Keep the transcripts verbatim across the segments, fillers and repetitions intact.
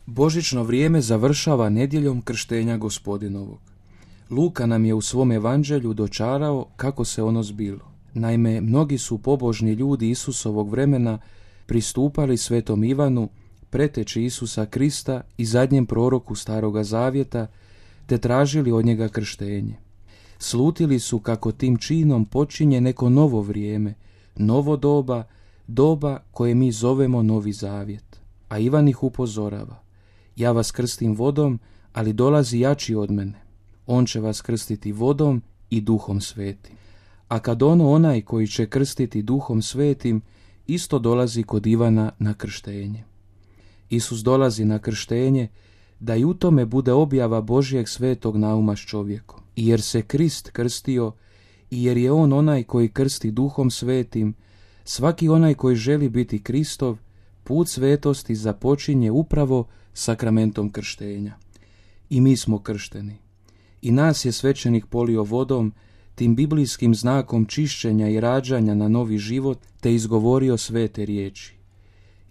Božićno vrijeme završava nedjeljom krštenja Gospodinovog. Luka nam je u svom evanđelju dočarao kako se ono zbilo. Naime, mnogi su pobožni ljudi Isusovog vremena pristupali svetom Ivanu, preteči Isusa Krista i zadnjem proroku Staroga Zavjeta, te tražili od njega krštenje. Slutili su kako tim činom počinje neko novo vrijeme, novo doba, doba koje mi zovemo Novi Zavjet. A Ivan ih upozorava: ja vas krstim vodom, ali dolazi jači od mene. On će vas krstiti vodom i Duhom Svetim. A kad ono onaj koji će krstiti Duhom Svetim, isto dolazi kod Ivana na krštenje. Isus dolazi na krštenje da i u tome bude objava Božjeg svetog nauma s čovjekom. I jer se Krist krstio i jer je on onaj koji krsti Duhom Svetim, svaki onaj koji želi biti Kristov, put svetosti započinje upravo sakramentom krštenja. I mi smo kršteni. I nas je svećenik polio vodom, tim biblijskim znakom čišćenja i rađanja na novi život, te izgovorio svete riječi: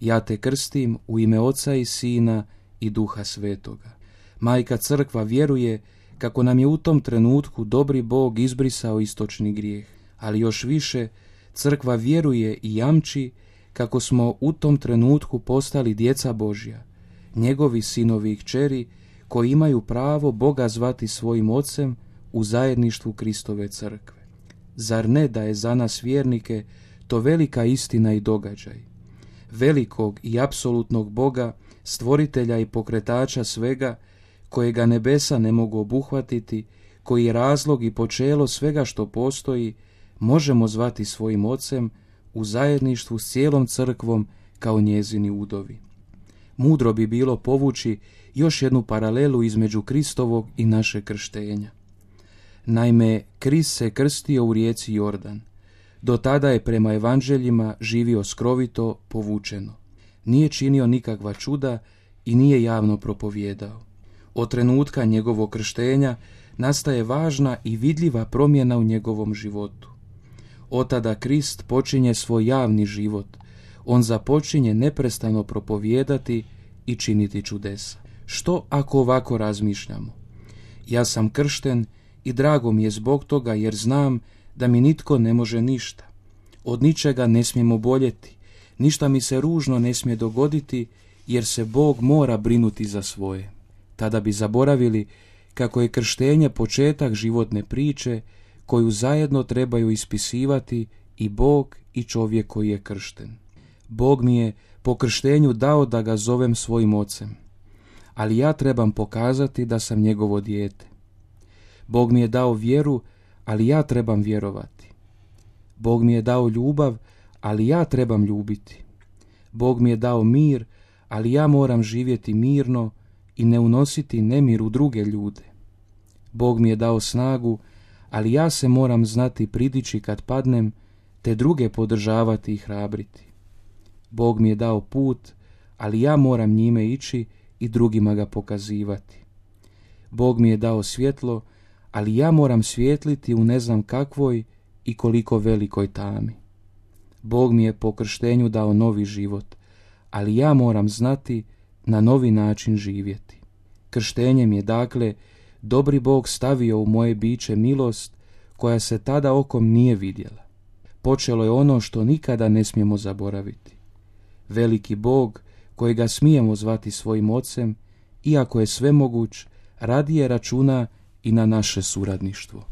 ja te krstim u ime Oca i Sina i Duha Svetoga. Majka Crkva vjeruje kako nam je u tom trenutku dobri Bog izbrisao istočni grijeh, ali još više Crkva vjeruje i jamči kako smo u tom trenutku postali djeca Božja, njegovi sinovi i kćeri koji imaju pravo Boga zvati svojim ocem u zajedništvu Kristove Crkve. Zar ne da je za nas vjernike to velika istina i događaj? Velikog i apsolutnog Boga, stvoritelja i pokretača svega, kojega nebesa ne mogu obuhvatiti, koji je razlog i počelo svega što postoji, možemo zvati svojim ocem u zajedništvu s cijelom crkvom kao njezini udovi. Mudro bi bilo povući još jednu paralelu između Kristovog i našeg krštenja. Naime, Krist se krstio u rijeci Jordan. Do tada je prema evanđeljima živio skrovito, povučeno. Nije činio nikakva čuda i nije javno propovjedao. Od trenutka njegovog krštenja nastaje važna i vidljiva promjena u njegovom životu. Od tada Krist počinje svoj javni život. On započinje neprestano propovijedati i činiti čudesa. Što ako ovako razmišljamo? Ja sam kršten i drago mi je zbog toga, jer znam da mi nitko ne može ništa. Od ničega ne smijem oboljeti, ništa mi se ružno ne smije dogoditi, jer se Bog mora brinuti za svoje. Tada bi zaboravili kako je krštenje početak životne priče koju zajedno trebaju ispisivati i Bog i čovjek koji je kršten. Bog mi je po krštenju dao da ga zovem svojim ocem, ali ja trebam pokazati da sam njegovo dijete. Bog mi je dao vjeru, ali ja trebam vjerovati. Bog mi je dao ljubav, ali ja trebam ljubiti. Bog mi je dao mir, ali ja moram živjeti mirno i ne unositi nemir u druge ljude. Bog mi je dao snagu, ali ja se moram znati pridići kad padnem, te druge podržavati i hrabriti. Bog mi je dao put, ali ja moram njime ići i drugima ga pokazivati. Bog mi je dao svjetlo, ali ja moram svijetliti u ne znam kakvoj i koliko velikoj tami. Bog mi je po krštenju dao novi život, ali ja moram znati na novi način živjeti. Krštenjem je dakle dobri Bog stavio u moje biće milost koja se tada okom nije vidjela. Počelo je ono što nikada ne smijemo zaboraviti. Veliki Bog, kojega smijemo zvati svojim ocem, iako je svemoguć, radije računa i na naše suradništvo.